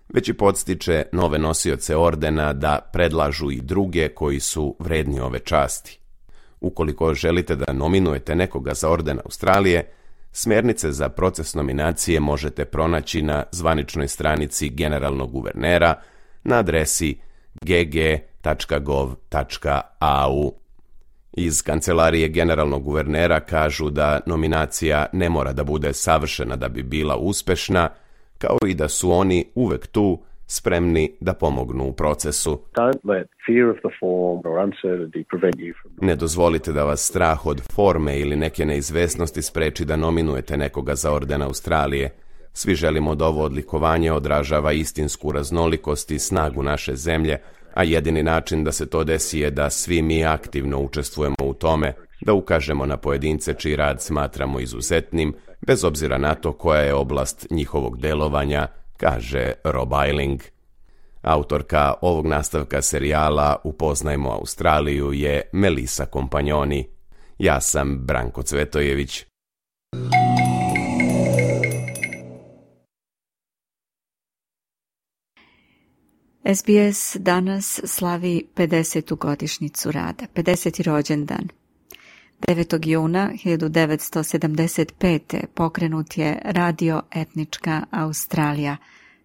već i podstiče nove nosioce ordena da predlažu i druge koji su vredni ove časti. Ukoliko želite da nominujete nekoga za orden Australije, smjernice za proces nominacije možete pronaći na zvaničnoj stranici generalnog guvernera na adresi gg.gov.au. Iz kancelarije generalnog guvernera kažu da nominacija ne mora da bude savršena da bi bila uspešna, kao i da su oni uvek tu, spremni da pomognu u procesu. Ne dozvolite da vas strah od forme ili neke neizvesnosti spreči da nominujete nekoga za orden Australije. Svi želimo da ovo odlikovanje odražava istinsku raznolikost i snagu naše zemlje, a jedini način da se to desi je da svi mi aktivno učestvujemo u tome, da ukažemo na pojedince čiji rad smatramo izuzetnim, bez obzira na to koja je oblast njihovog delovanja, kaže Rob Eiling. Autorka ovog nastavka serijala Upoznajmo Australiju je Melisa Kompanjoni. Ja sam Branko Cvetojević. SBS danas slavi 50. godišnjicu rada, 50. rođendan. 9. juna 1975. pokrenut je Radio Etnička Australija,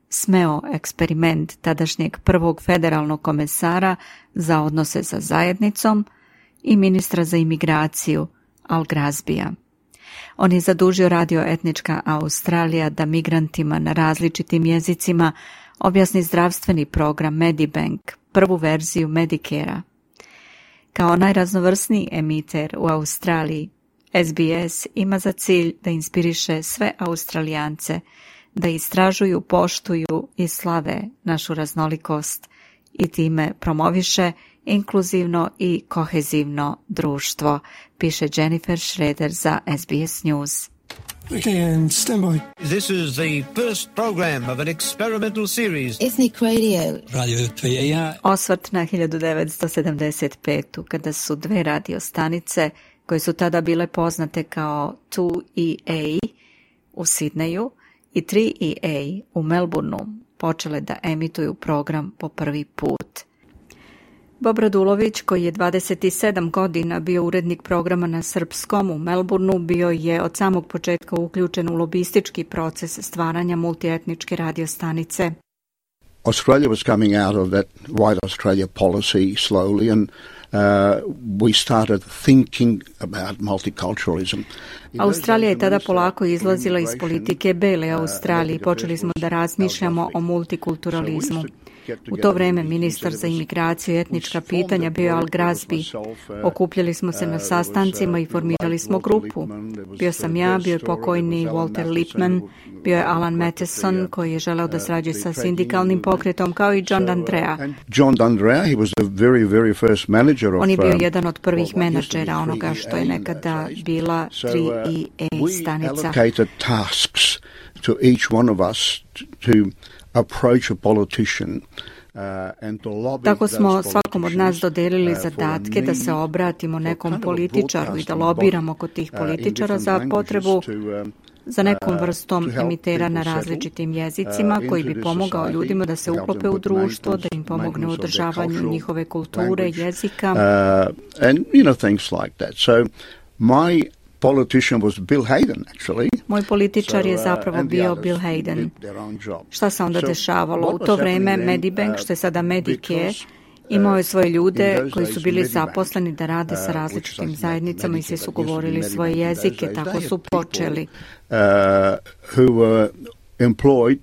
smeo eksperiment tadašnjeg prvog federalnog komesara za odnose sa zajednicom i ministra za imigraciju Al Grazbija. On je zadužio Radio Etnička Australija da migrantima na različitim jezicima objasni zdravstveni program Medibank, prvu verziju Medicare-a. Kao najraznovrsniji emiter u Australiji, SBS ima za cilj da inspiriše sve Australijance da istražuju, poštuju i slave našu raznolikost i time promoviše inkluzivno i kohezivno društvo, piše Jennifer Schroeder za SBS News. Okay, and stand by. This is the first program of an experimental series. Ethnic Radio. Radio 3ER. Osvrt na 1975. kada su dve radiostanice, koje su tada bile poznate kao 2EA u Sidneju i 3EA u Melbourneu, počele da emituju program po prvi put. Bob Radulović, koji je 27 godina bio urednik programa na srpskom u Melbourneu, bio je od samog početka uključen u lobistički proces stvaranja multietničke radiostanice. Australia was coming out of that White Australia policy slowly and we started thinking about multiculturalism. Australija je tada polako izlazila iz politike bele Australije i počeli smo da razmišljamo o multikulturalizmu. U to vreme ministar za imigraciju i etnička pitanja bio Al Grazbi. Okupljali smo se na sastancima i formirali smo grupu. Bio sam ja, bio je pokojni Walter Lippmann, bio je Alan Matheson koji je želeo da sarađuje sa sindikalnim pokretom, kao i John D'Andrea. John D'Andrea, he was the very first manager of. On je bio jedan od prvih menadžera onoga što je nekada bila 3EA stanica. to each one of us to approach a politician. Tako smo svakom od nas dodelili zadatke da se obratimo nekom političaru i da lobiramo kod tih političara za potrebu za nekom vrstom emitera na različitim jezicima koji bi pomogao ljudima da se uklope u društvo, da im pomogne u održavanju njihove kulture, jezika. And things like that. So my politician was Bill Hayden, actually. Moj političar je zapravo bio Bill Hayden. Šta se onda dešavalo? U to vreme Medibank, što je sada Medicare, imao je svoje ljude koji su bili zaposleni da rade sa različitim zajednicama i svi su govorili svoje jezike, tako su počeli. Who were employed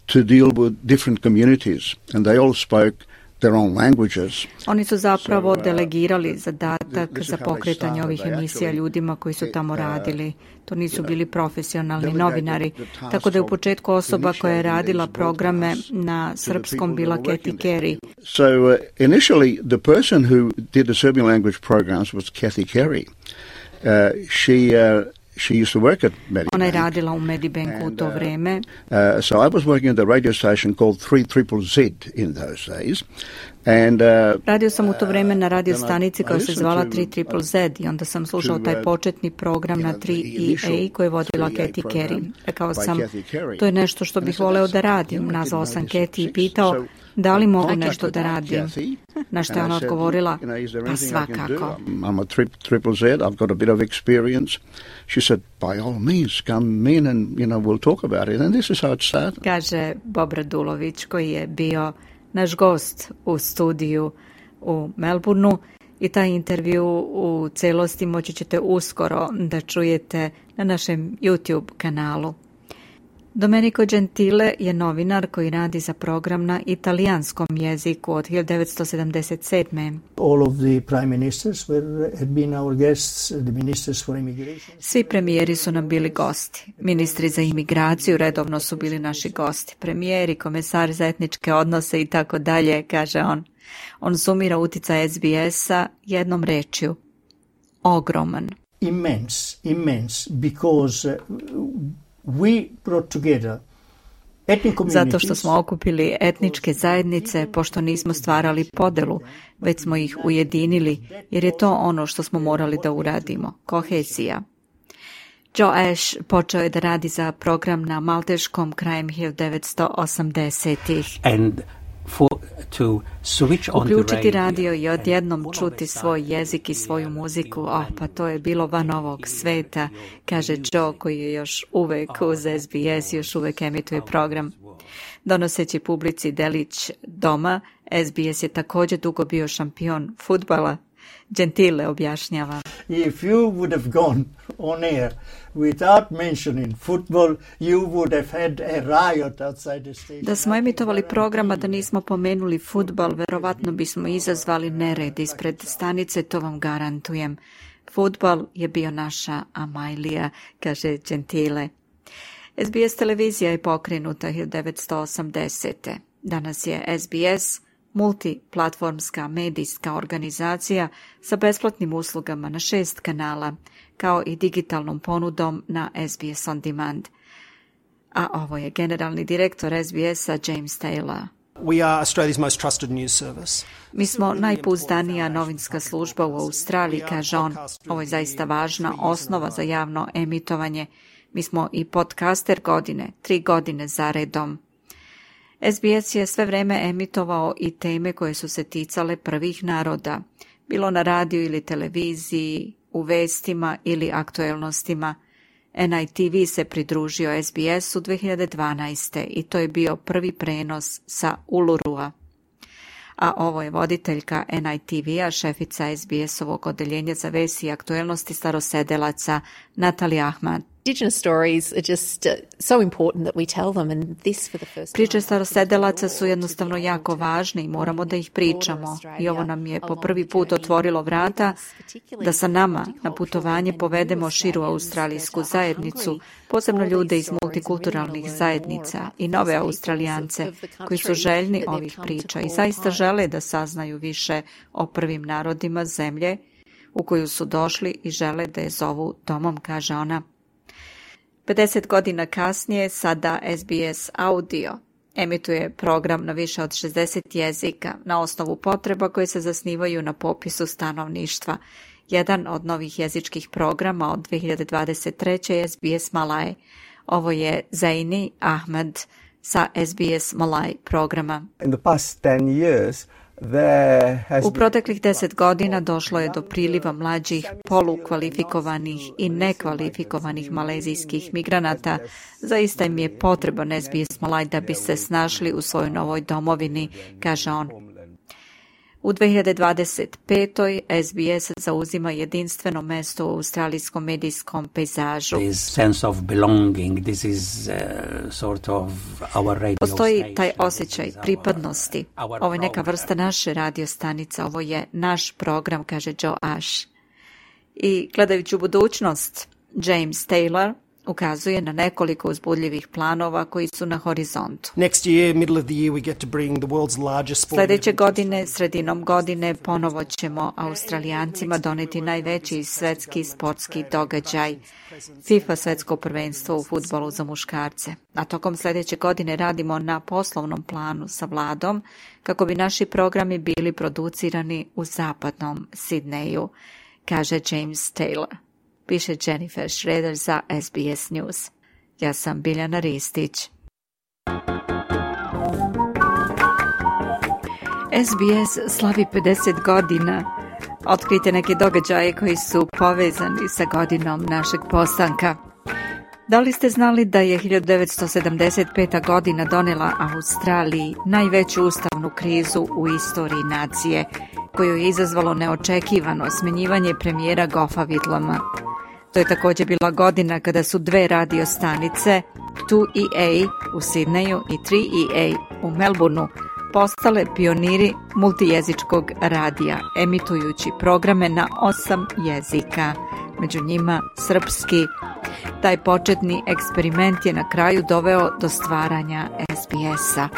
to deal with different communities, and they all spoke their own languages. Oni su zapravo delegirali zadatak za pokretanje ovih emisija ljudima koji su tamo radili. To nisu bili profesionalni novinari, tako da je u početku osoba koja je radila programe na srpskom bila Kathy Carey. So initially the person who did the Serbian language programs was Kathy Carey. She used to work at Medibank. Ona je radila u Medibanku u to vreme. So I was working at the radio station called 3ZZZ in those days. And, radio sam u to vreme na radio stanici koja se zvala 3ZZZ i onda sam slušao taj početni program na 3EA koji je vodila Kathy Carey. Rekao sam, to je nešto što bih voleo da radim. Nazvao sam Kathy i pitao da li mogu nešto da radim. Na što je ona odgovorila, pa svakako. I'm a 3ZZZ, I've got a bit of experience. She said, by all means, come in and we'll talk about it. And this is how it started. Kaže Bob Radulović koji je bio naš gost u studiju u Melbourneu i taj intervju u celosti moći ćete uskoro da čujete na našem YouTube kanalu. Domenico Gentile je novinar koji radi za program na italijanskom jeziku od 1977. All of the prime ministers had been our guests, the ministers for immigration. Svi premijeri su nam bili gosti. Ministri za imigraciju redovno su bili naši gosti. Premijeri, komesari za etničke odnose i tako dalje, kaže on. On sumira uticaj SBS-a jednom rečju. Ogroman. Immense, because we brought together ethnic communities. Zato što smo okupili etničke zajednice, pošto nismo stvarali podelu, već smo ih ujedinili, jer je to ono što smo morali da uradimo, kohezija. Joe Ash počeo je da radi za program na malteškom krajem 1980-ih. Uključiti radio i odjednom čuti svoj jezik i svoju muziku, pa to je bilo van ovog sveta, kaže Joe koji je još uvek uz SBS, još uvek emituje program. Donoseći publici delić doma, SBS je također dugo bio šampion fudbala. Gentile objašnjava. If you would have gone on air without mentioning football, you would have had a riot outside the station. Da smo emitovali programa da nismo pomenuli fudbal, verovatno bismo izazvali nered ispred stanice, to vam garantujem. Fudbal je bio naša Amajlija, kaže Gentile. SBS televizija je pokrenuta 1980. Danas je SBS multiplatformska medijska organizacija sa besplatnim uslugama na 6 kanala, kao i digitalnom ponudom na SBS On Demand. A ovo je generalni direktor SBS-a James Taylor. We are Australia's most trusted news service. Mi smo najpouzdanija novinska služba u Australiji, kaže on. Ovo je zaista važna osnova za javno emitovanje. Mi smo i podcaster godine, 3 godine za redom. SBS je sve vreme emitovao i teme koje su se ticale prvih naroda, bilo na radiju ili televiziji, u vestima ili aktuelnostima. NITV se pridružio SBS-u 2012. i to je bio prvi prenos sa Ulurua. A ovo je voditeljka NITV-a, šefica SBS-ovog odeljenja za vesti i aktuelnosti starosedelaca Natalie Ahmad. Indigenous stories are just so important that we tell them, and this for the first time. Priče starosedelaca su jednostavno jako važne i moramo da ih pričamo. I ovo nam je po prvi put otvorilo vrata da sa nama na putovanje povedemo širu australijsku zajednicu, posebno ljude iz multikulturalnih zajednica i nove Australijance koji su željni ovih priča i zaista žele da saznaju više o prvim narodima zemlje u koju su došli i žele da je zovu domom, kaže ona. 50 godina kasnije sada SBS Audio emituje program na više od 60 jezika na osnovu potreba koje se zasnivaju na popisu stanovništva. Jedan od novih jezičkih programa od 2023. je SBS Malay. Ovo je Zaini Ahmed sa SBS Malay programa. In the past 10 years, u proteklih 10 godina došlo je do priliva mlađih, polukvalifikovanih i nekvalifikovanih malezijskih migranata. Zaista im je potreban SBS Malay da bi se snašli u svojoj novoj domovini, kaže on. U 2025. SBS zauzima jedinstveno mesto u australijskom medijskom pejzažu. Postoji taj osjećaj pripadnosti. Ovo je neka vrsta naše radio stanice, ovo je naš program, kaže Joe Ash. I gledajući u budućnost, James Taylor ukazuje na nekoliko uzbudljivih planova koji su na horizontu. Sljedeće godine, sredinom godine, ponovo ćemo Australijancima doneti najveći svetski sportski događaj, FIFA svetsko prvenstvo u fudbalu za muškarce. A tokom sljedeće godine radimo na poslovnom planu sa vladom kako bi naši programi bili producirani u zapadnom Sidneju, kaže James Taylor. Piše Jennifer Schroeder za SBS News. Ja sam Biljana Ristić. SBS slavi 50 godina. Otkrijte neke događaje koji su povezani sa godinom našeg postanka. Da li ste znali da je 1975. godina donela Australiji najveću ustavnu krizu u istoriji nacije, koju je izazvalo neočekivano smenjivanje premijera Goffa Whitlama? To je također bila godina kada su dve radio stanice, 2EA u Sidneju i 3EA u Melbourneu, postale pioniri multijezičkog radija, emitujući programe na 8 jezika, među njima srpski. Taj početni eksperiment je na kraju doveo do stvaranja SBS-a.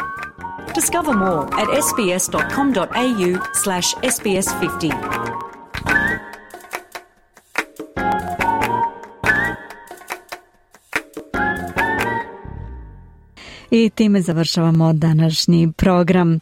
Discover more at sbs.com.au/sbs50. I time završavamo današnji program.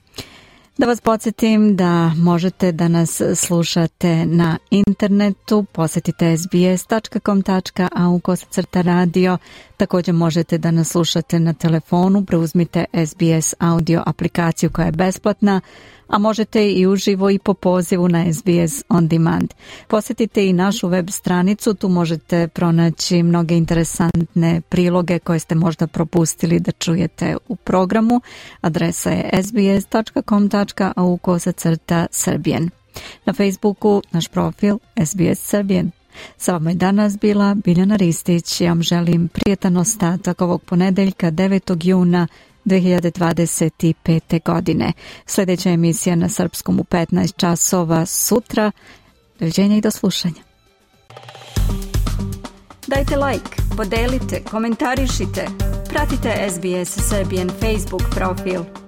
Da vas podsjetim da možete da nas slušate na internetu, posjetite sbs.com.au/radio. Također možete da nas slušate na telefonu, preuzmite SBS audio aplikaciju koja je besplatna, a možete i uživo i po pozivu na SBS On Demand. Posjetite i našu web stranicu, tu možete pronaći mnoge interesantne priloge koje ste možda propustili da čujete u programu. Adresa je sbs.com.au/Serbian. Na Facebooku naš profil SBS Serbian. Sa vama je danas bila Biljana Ristić. Ja vam želim prijetan ostatak ovog ponedeljka 9. juna 2025. godine. Sljedeća emisija na srpskom u 15 časova sutra. Doviđenja i do slušanja. Dajte like, podelite, komentarišite. Pratite SBS Serbian Facebook profil.